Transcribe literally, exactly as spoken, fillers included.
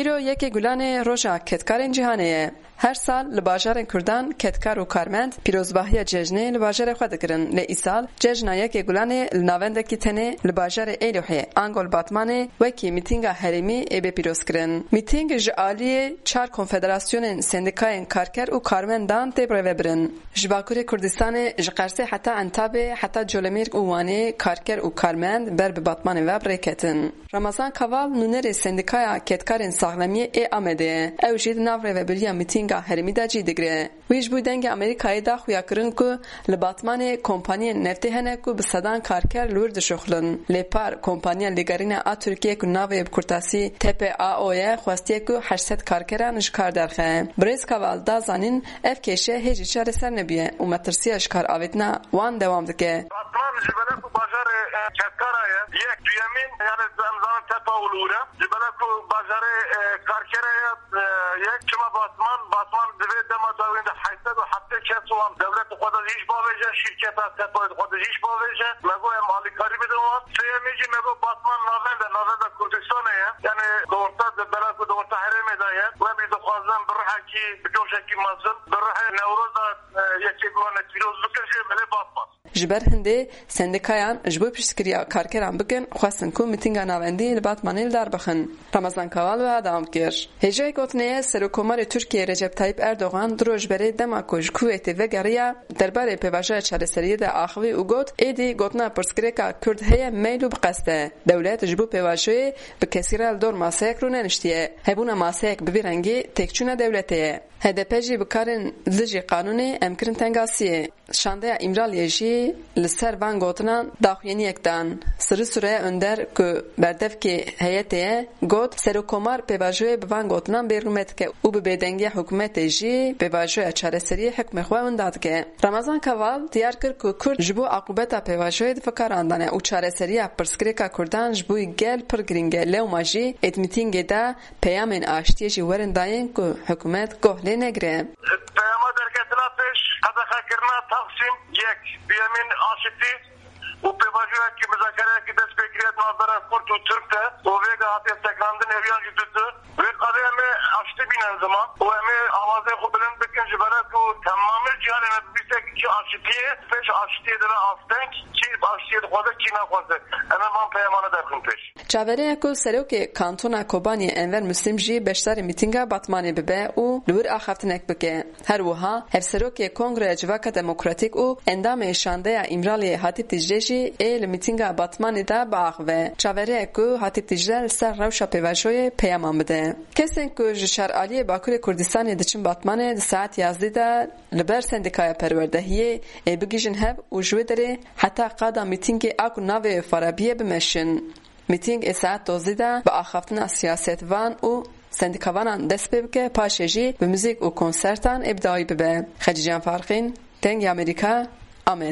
Îro yekê Gulanê roja kedkarên cîhanê ye. Her sal li bajarên Kurdan kedkar û karmend pîrozbahiya cejnê li bajarê xwe dikirin. Lê îsal cejna yekê Gulanê li navendekî tenê li bajarê Êlihê, ango li Batmanê, wekî mîtînga herêmî ê bê pîrozkirin. Mîtîng ji aliyê çar konfederasyonên sendîkayên karker û karmendan tê birêvebirin. Ji Bakurê Kurdistanê, ji Qersê heta Entabê, heta Colemêrg û Wanê karker û karmend ber bi Batmanê ve bi rê ketin. Ramazan Kaval, nûnerê Sendîkaya Kedkarên Saxlemiyê ê Amedê ye. Ew jî di nav rêvebiriya mîtînga herêmî de cî digire. Wî ji bo Dengê Amerîkayê da xuyakirin ku li Batmanê kompaniyên neftê hene ku bi sedan karker li wir dişuxulin. Lê par, kompaniya Lêgerîna a Tirkiyê ku navê bi kurtasî T P A O ye, xwestiye ku heşt sed karkeran ji kar derxe. Birêz Kaval da zanîn, ev kêşe hêjî çareser nebûye û metirsiya ji kar avêtina wan dewam dike. Batman ji belek û bajarê, e, kedkara ye. Yek, duyemîn, yani em zanin tepa û li wir e. Ji belek û bajarê, e, karkere ye, e, yek. Çima Batman? Batman divê dema dawîn de heyt sed û heftê kes wan dewlet xwe de iş bavêje, şîrketa tepa xwe de iş bavêje. Me got em alîkarî bidin wan. Sêyemî jî me got Batman navenda, navenda Kurdistanê ye. Yani di orta, di belek û di orta herêmê de ye. Em jî dixwazin bi rihekî, bi coşekî mezin, bi rihê Newroza, e, yekê bi wan pîroz bikin jî belê Batman. Ji ber hindê sendîkayan ji bo piştgiriya karkeran bikin, xwestin ku mîtînga navendî li Batmanê li dar bixin. Ramazan Kaval wiha dewam kir. Hêjayî gotinê ye, Serokkomarê Tirkiyê Recep Tayyip Erdogan du roj berê dema ku ji Kuweytê vegeriya, derbarê pêvajoya çareseriyê de axivî û got, êdî gotina pirsgirêka Kurd heye meyl û bi qest e. Dewlet ji bo pêvajoyê bi kesî re li dor maseyek rûneniştiye. Hebûna maseyek bi vî rengî têkçûna dewletê ye. H D P jî bi karên dijî qanûnê em kirin tengasiyê. Şandeya Îmraliyê jî li ser van gotinan daxuyaniyek dan. Sirî Sure Önder ku berdevkê heyetê ye, got, Serokkomar pêvajoyê bi van gotinan bêrûmet dike û bi bêdengiya hikûmetê jî pêvajoya çareseriyê hikmê xwe winda dike. Ramazan Kaval diyar kir ku Kurd ji bo aqûbeta pêvajoyê di fikaran de ne û çareseriya pirsgirêka Kurdan ji bo gel pir girîng e, lewma jî ê di mîtîngê de peyamên aştiyê jî werin dayîn ku hikûmet goh lê negire. Peyama derketina pêş, qedexekirina Taksim yek, duyemîn aşitî û pêvajoyekî, muzakereyekî dest pê kiriye di navbera Kurd û Tirk de û vêga hatiye sekinandin, eviyan jî dudu. Wê qadê em ê aştî bînin ziman û em ê awazê xwe bilind bikin ji ber ku temamê cîhanê me bibîse kî aşitiyê, pêş aşitiyê dibe asteng, kî aşitiyê dixwaze, kî naxwaze. Em ê van peyamane derxin pêş. Çaverê ye ku serokê Kantona Kobaniyê Enver Muslim jî beşdarî mîtînga Batmanê bibe û li wir axaftinek bike. Her wiha hevserokê Kongreya Civaka Demokratîk û endamê Şandeya Îmraliyê Hatîp Dîcle jî ê li mîtînga Batmanê de biaxive. Çaverê ye ku Hatîp Dîcle li ser rewşa pêvajoyê peyaman bide. Kesên ku ji şaraliyê Bakurê Kurdistanê diçin Batmanê di saet yazdî de li ber Sendîkaya Perwerdehiyê ê bigihîjin hev û ji wê derê heta qada mîtîngê a ku navê wê Farabiye bimeşin. Mîtîng ê saet dozdî de bi axaftina siyasetvan û sendîkavanan dest pê bike, paşê jî bi muzîk û konsertan ê bi dawî bibe. Xecîcan Farqîn, Dengê Amerîka, Amed.